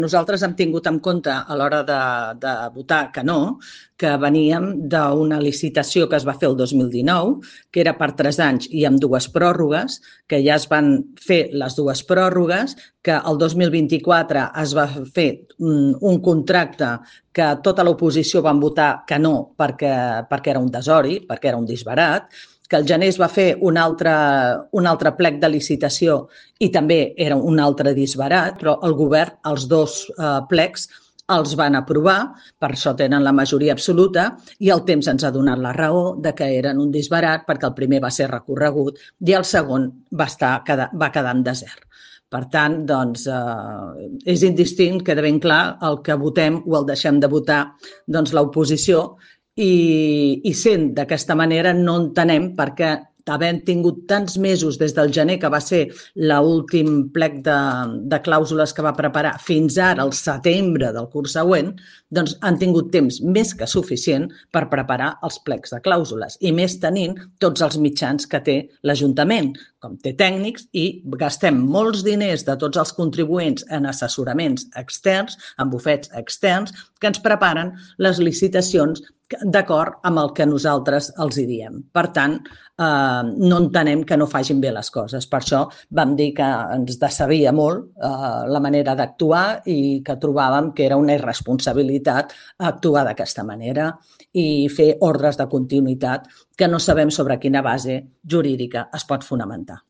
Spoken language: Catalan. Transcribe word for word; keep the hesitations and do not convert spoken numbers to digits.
Nosaltres hem tingut en compte a l'hora de, de votar que no, que veníem d'una licitació que es va fer el dos mil dinou, que era per tres anys i amb dues pròrrogues, que ja es van fer les dues pròrrogues, que el dos mil vint-i-quatre es va fer un, un contracte que tota l'oposició van votar que no perquè, perquè era un desori, perquè era un disbarat, que el gener es va fer un altre, un altre plec de licitació i també era un altre disbarat, però el govern, els dos eh, plecs, els van aprovar, per això tenen la majoria absoluta, i el temps ens ha donat la raó de que eren un disbarat perquè el primer va ser recorregut i el segon va, estar, va quedar en desert. Per tant, doncs, eh, és indistint, queda ben clar, el que votem o el deixem de votar doncs, l'oposició, i, i sent d'aquesta manera no entenem perquè havent tingut tants mesos des del gener, que va ser l'últim plec de, de clàusules que va preparar, fins ara, al setembre del curs següent, doncs han tingut temps més que suficient per preparar els plecs de clàusules i més tenint tots els mitjans que té l'Ajuntament, com té tècnics, i gastem molts diners de tots els contribuents en assessoraments externs, en bufets externs, que ens preparen les licitacions d'acord amb el que nosaltres els hi diem. Per tant, eh, no entenem que no facin bé les coses. Per això vam dir que ens decebia molt eh, la manera d'actuar i que trobàvem que era una irresponsabilitat actuar d'aquesta manera i fer ordres de continuïtat que no sabem sobre quina base jurídica es pot fonamentar.